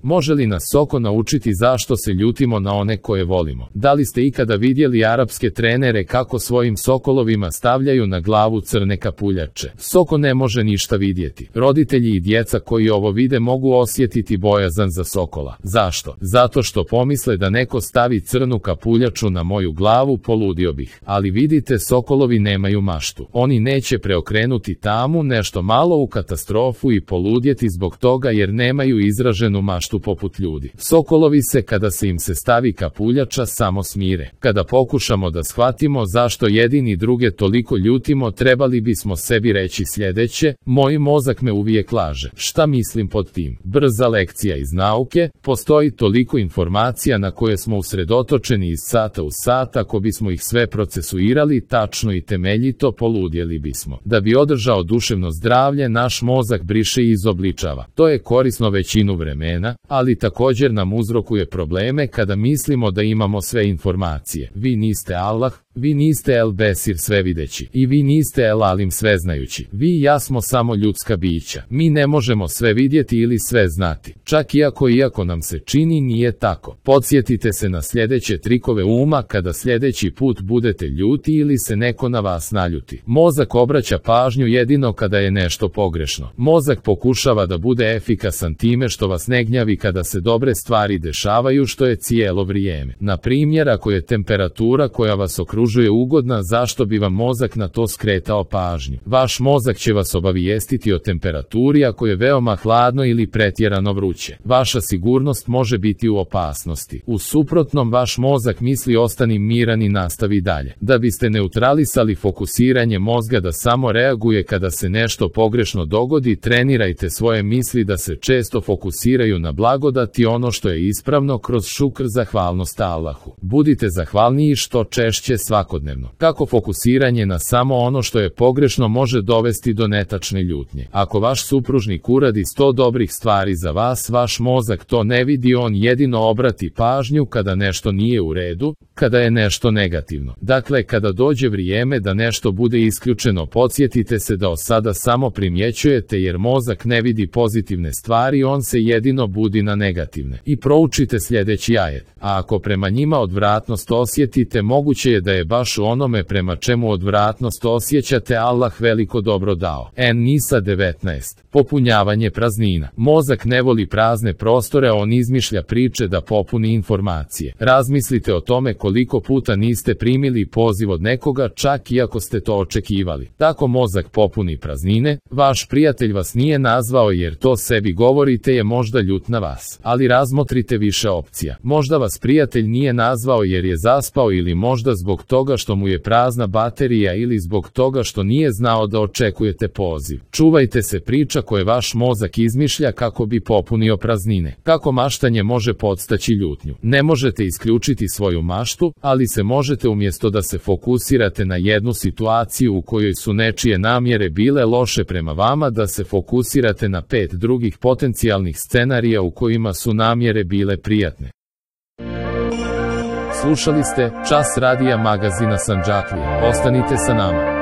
Može li nas Soko naučiti zašto se ljutimo na one koje volimo? Da li ste ikada vidjeli arapske trenere kako svojim sokolovima stavljaju na glavu crne kapuljače? Soko ne može ništa vidjeti. Roditelji i djeca koji ovo vide mogu osjetiti bojazan za Sokola. Zašto? Zato što pomisle da neko stavi crnu kapuljaču na moju glavu, poludio bih. Ali vidite, sokolovi nemaju maštu. Oni neće preokrenuti tamu nešto malo u katastrofu i poludjeti zbog toga jer nemaju izraženu maštu poput ljudi. Sokolovi se, kada se im se stavi kapuljača, samo smire. Kada pokušamo da shvatimo zašto jedini druge toliko ljutimo, trebali bismo sebi reći sljedeće: moj mozak me uvijek laže. Šta mislim pod tim? Brza lekcija iz nauke: postoji toliko informacija na koje smo usredotočeni iz sata u sat, ako bismo ih sve procesuirali tačno i temeljito, poludjeli bismo. Da bi održao duševno zdravlje, naš mozak briše i izobličava. To je korisno većinu vremena, ali također nam uzrokuje probleme kada mislimo da imamo sve informacije. Vi niste Allah, vi niste El Besir svevideći, i vi niste El Alim sveznajući. Vi i ja smo samo ljudska bića. Mi ne možemo sve vidjeti ili sve znati. Čak iako nam se čini nije tako. Podsjetite se na sljedeće trikove uma kada sljedeći put budete ljuti ili se neko na vas naljuti. Mozak obraća pažnju jedino kada je nešto pogrešno. Mozak pokušava da bude efikasan time što vas ne gnjavi kada se dobre stvari dešavaju, što je cijelo vrijeme. Na primjer, ako je temperatura koja vas okružuje ugodna, zašto bi vam mozak na to skretao pažnju? Vaš mozak će vas obavijestiti o temperaturi ako je veoma hladno ili pretjerano vruće. Vaša sigurnost može biti u opasnosti. U suprotnom, vaš mozak misli ostani miran i nastavi dalje. Da biste neutralisali fokusiranje mozga da samo reaguje kada se nešto pogrešno dogodi, trenirajte svoje misli da se često fokusiraju na blagodat i ono što je ispravno kroz šukr, zahvalnost Allahu. Budite zahvalniji što češće svakodnevno. Kako fokusiranje na samo ono što je pogrešno može dovesti do netačne ljutnje? Ako vaš supružnik uradi 100 dobrih stvari za vas, vaš mozak to ne vidi, on jedino obrati pažnju kada nešto nije u redu, kada je nešto negativno. Dakle, kada dođe vrijeme da nešto bude isključeno, podsjetite se da od sada samo primjećujete, jer mozak ne vidi pozitivne stvari, on se jedino budi na negativne. I proučite sljedeći ajet: a ako prema njima odvratnost osjetite, moguće je da je baš u onome prema čemu odvratnost osjećate Allah veliko dobro dao. En-Nisa 19. Popunjavanje praznina. Mozak ne voli prazne prostore, on izmišlja priče da popuni informacije. Razmislite o tome koliko puta niste primili poziv od nekoga, čak i ako ste to očekivali. Tako mozak popuni praznine. Vaš prijatelj vas nije nazvao jer to sebi govorite je možda ljut na vas. Ali razmotrite više opcija. Možda vas prijatelj nije nazvao jer je zaspao, ili možda zbog toga što mu je prazna baterija, ili zbog toga što nije znao da očekujete poziv. Čuvajte se priča koje vaš mozak izmišlja kako bi popunio praznine. Kako maštanje može podstaći ljutnju? Ne možete isključiti svoju maštu, ali se možete, umjesto da se fokusirate na jednu situaciju u kojoj su nečije namjere bile loše prema vama, da se fokusirate na 5 drugih potencijalnih scenarija u kojima su namjere bile prijatne. Slušali ste Čas radija magazina Sandžaklija. Ostanite sa nama.